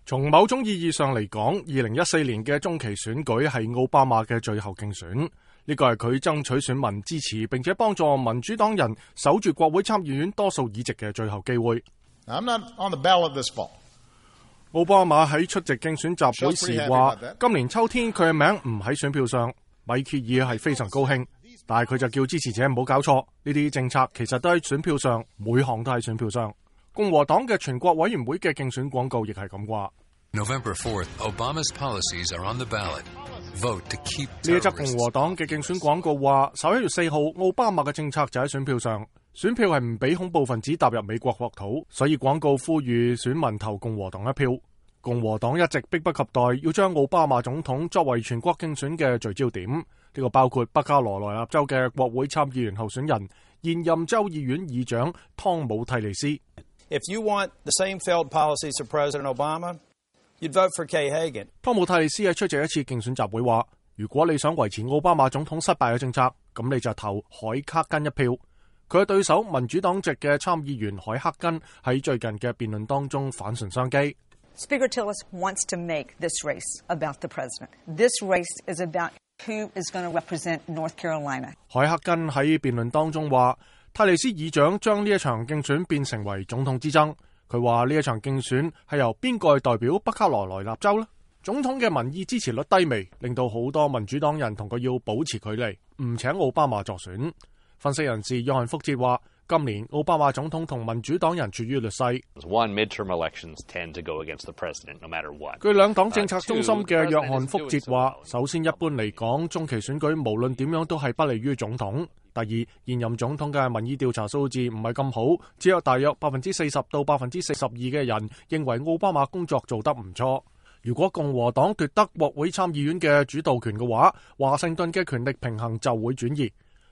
從某種意義上嚟講，2014年嘅中期選舉係奧巴馬嘅最後競選，呢個係佢爭取選民支持並且幫助民主黨人守住國會參議院多數議席嘅最後機會。I'm not on the ballot this fall. 奧巴馬喺出席競選集會時話，今年秋天佢嘅名唔喺選票上。米歇爾係非常高興，但係佢就叫支持者唔好搞錯，呢啲政策其實都喺選票上，每項都喺選票上。共和黨嘅全國委員會嘅競選廣告亦係咁話。November 4th, Obama's policies are on the ballot. Vote to keep terrorists. 呢一則共和黨嘅競選廣告話，11月4號奧巴馬嘅政策就喺選票上，選票係唔俾恐怖分子踏入美國國土，所以廣告呼籲選民投共和黨一票。共和黨一直迫不及待要將奧巴馬總統作為全國競選嘅聚焦點，呢個包括北卡羅來納州嘅國會參議員候選人、現任州議院議長湯姆蒂利斯。If you want the same failed policies of President Obama, you'd vote for Kay Hagan. 湯姆蒂利斯喺出席一次競選集會話，如果你想維持奧巴馬總統失敗嘅政策，咁你就投海克根一票。佢嘅對手民主黨籍嘅參議員海克根喺最近嘅辯論當中反唇相譏。Speaker Tillis wants to make this race about the president. This race is about who is going to represent North Carolina. 海克根喺辯論當中話，泰利斯議長將呢一場競選變成為總統之爭。佢話呢一場競選係由邊個代表北卡羅來納州呢？總統嘅民意支持率低微，令到好多民主黨人同佢要保持距離，唔請奧巴馬助選。分析人士約翰福哲話，今年奧巴馬總統同民主黨人處於劣勢。據兩黨政策中心嘅約翰福哲話，首先一般嚟講，中期選舉無論點樣都係不利於總統。第二，現任總統嘅民意調查數字唔係咁好，只有大約40%到42%嘅人認為奧巴馬工作做得唔錯。如果共和黨奪得國會參議院嘅主導權嘅話，華盛頓嘅權力平衡就會轉移。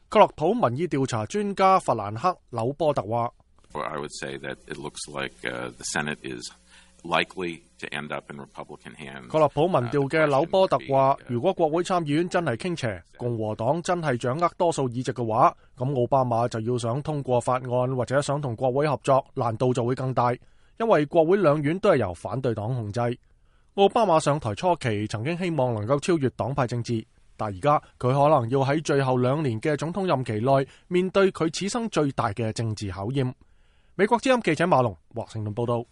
克洛普民意調查專家弗蘭克紐波特話，克洛普民調嘅紐波特話，如果國會參議院真係傾斜，共和黨真係掌握多數議席嘅話，咁奧巴馬就要想通過法案或者想同國會合作，難度就會更大，因為國會兩院都係由反對黨控制。奧巴馬上台初期曾經希望能夠超越黨派政治，但而家佢可能要喺最後2年嘅總統任期內面對佢此生最大嘅政治考驗。美國之音記者馬龍華盛頓報道。